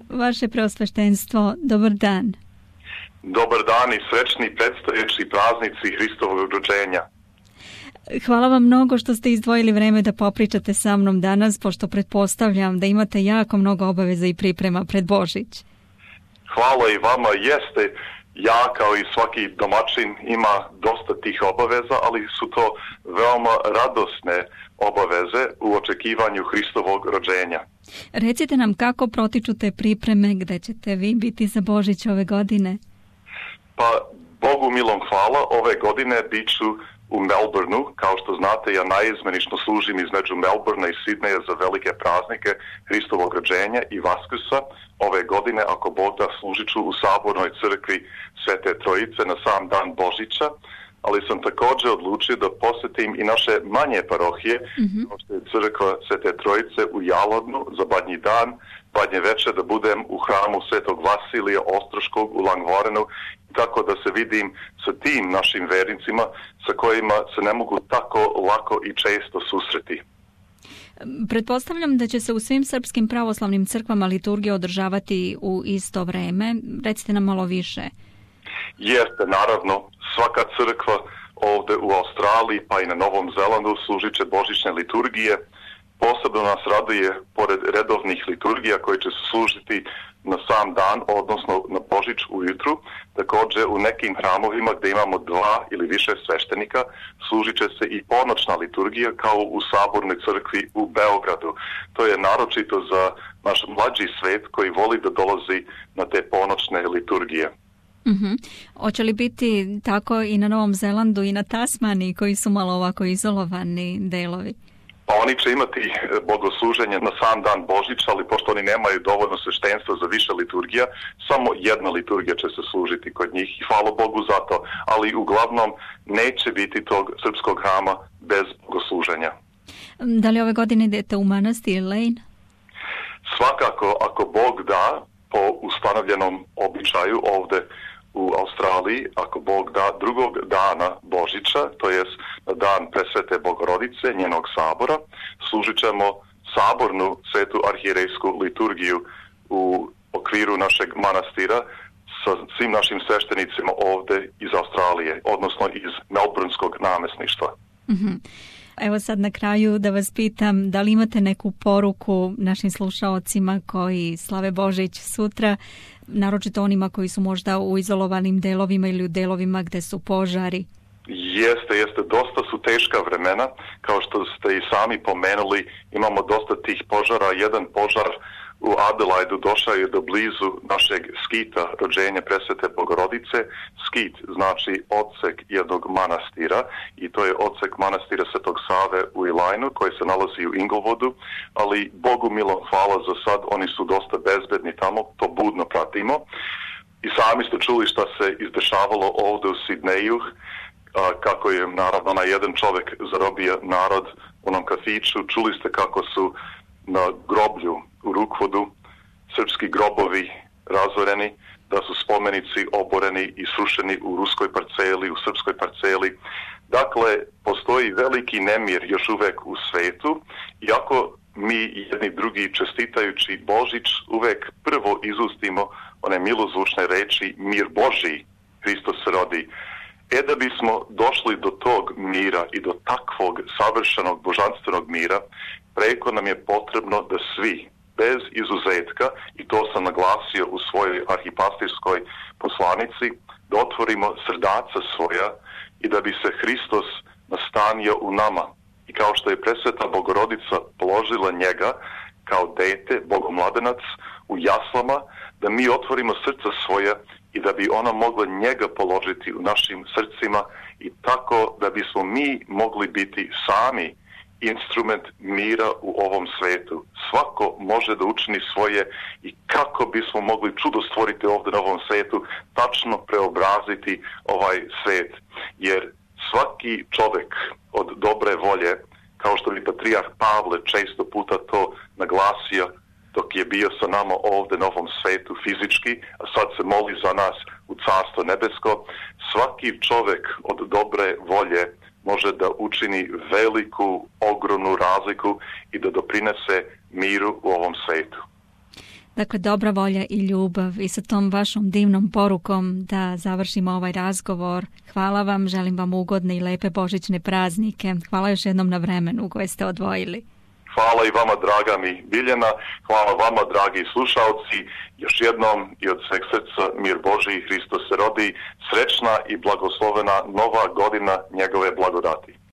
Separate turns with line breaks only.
Vaše preosveštenstvo, dobar dan.
Dobar dan i srećni predstojeći praznici Hristovog rođenja.
Hvala vam mnogo što ste izdvojili vreme da popričate sa mnom danas, pošto pretpostavljam da imate jako mnogo obaveza i priprema pred Božić.
Hvala i vama, jeste. Ja kao i svaki domaćin ima dosta tih obaveza, ali su to veoma radosne obaveze u očekivanju Hristovog rođenja.
Recite nam kako protiču te pripreme, gde ćete vi biti za Božić ove godine?
Pa, Bogu milom hvala, ove godine bit ću u Melbourneu. Kao što znate, ja naizmenično služim između Melbournea i Sidneja za velike praznike Hristovog rođenja i Vaskrsa. Ove godine, ako Bog da, služit ću u Sabornoj crkvi Svete Trojice na sam dan Božića, ali sam također odlučio da posjetim i naše manje parohije, kao što je crkva Svete Trojice u Jalovnu za Badnji dan, Badnje večer da budem u hramu Svetog Vasilija Ostroškog u Langvarenu, tako da se vidim sa tim našim vernicima sa kojima se ne mogu tako lako i često susreti.
Pretpostavljam da će se u svim srpskim pravoslavnim crkvama liturgija održavati u isto vreme. Recite nam malo više.
Jeste, naravno, svaka crkva ovdje u Australiji pa i na Novom Zelandu služit će božićne liturgije. Posebno nas raduje, pored redovnih liturgija koje će se služiti na sam dan, odnosno na Božić ujutru, također u nekim hramovima gdje imamo 2 ili više sveštenika, služit će se i ponoćna liturgija kao u Sabornoj crkvi u Beogradu. To je naročito za naš mlađi svet koji voli da dolazi na te ponoćne liturgije.
Hoće li biti tako i na Novom Zelandu i na Tasmaniji koji su malo ovako izolovani delovi?
Pa oni će imati bogosluženje na sam dan Božića, ali pošto oni nemaju dovoljno sveštenstva za više liturgija, samo jedna liturgija će se služiti kod njih i hvala Bogu za to, ali uglavnom neće biti tog srpskog hrama bez bogosluženja.
Da li ove godine idete u manastir Lane?
Svakako, ako Bog da, po ustanovljenom običaju ovdje u Australiji, ako Bog da, drugog dana Božića, to jest na dan Presvete Bogorodice, njenog sabora, služit ćemo sabornu svetu arhijerejsku liturgiju u okviru našeg manastira sa svim našim sveštenicima ovdje iz Australije, odnosno iz Melbourneskog namjesništva.
Evo sad na kraju da vas pitam, da li imate neku poruku našim slušaocima koji slave Božić sutra, naročito onima koji su možda u izolovanim delovima ili u delovima gde su požari?
Jeste, dosta su teška vremena, kao što ste i sami pomenuli, imamo dosta tih požara. Jedan požar u Adelaidu došao je do blizu našeg skita rođenja Presvete Bogorodice. Skit znači odsek jednog manastira i to je odsek manastira Svetog Save u Elajnu koji se nalazi u Inglewodu, ali Bogu milom hvala za sad, oni su dosta bezbedni tamo, to budno pratimo. I sami ste čuli šta se izdešavalo ovdje u Sidneju, kako je naravno na jedan čovjek zarobio narod u onom kafiću. Čuli ste kako su na groblju u Rookwodu srpski grobovi razoreni, da su spomenici oboreni i srušeni u ruskoj parceli, u srpskoj parceli. Dakle, postoji veliki nemir još uvek u svetu, iako mi jedni drugi čestitajući Božić uvek prvo izustimo one milozvučne reči mir Božji, Hristos se rodi. Da bismo došli do tog mira i do takvog savršenog božanstvenog mira, preko nam je potrebno da svi, bez izuzetka, i to sam naglasio u svojoj arhipastirskoj poslanici, da otvorimo srdaca svoja i da bi se Hristos nastanio u nama. I kao što je Presveta Bogorodica položila njega kao dete, bogomladenac, u jaslama, da mi otvorimo srca svoja i da bi ona mogla njega položiti u našim srcima i tako da bismo mi mogli biti sami instrument mira u ovom svetu. Svako može da učini svoje i kako bismo mogli čudo stvoriti ovdje na ovom svetu, tačno preobraziti ovaj svet. Jer svaki čovjek od dobre volje, kao što bi patrijarh Pavle često puta to naglasio dok je bio sa nama ovdje na ovom svetu fizički, a sad se moli za nas u Carstvo nebesko, svaki čovjek od dobre volje može da učini veliku, ogromnu razliku i da doprinese miru u ovom svetu.
Dakle, dobra volja i ljubav i sa tom vašom divnom porukom da završimo ovaj razgovor. Hvala vam, želim vam ugodne i lepe božićne praznike. Hvala još jednom na vremenu koje ste odvojili.
Hvala i vama, draga mi Biljana, hvala vama, dragi slušalci, još jednom i od sveg srca mir Božji, Hristos se rodi, srećna i blagoslovena nova godina njegove blagodati.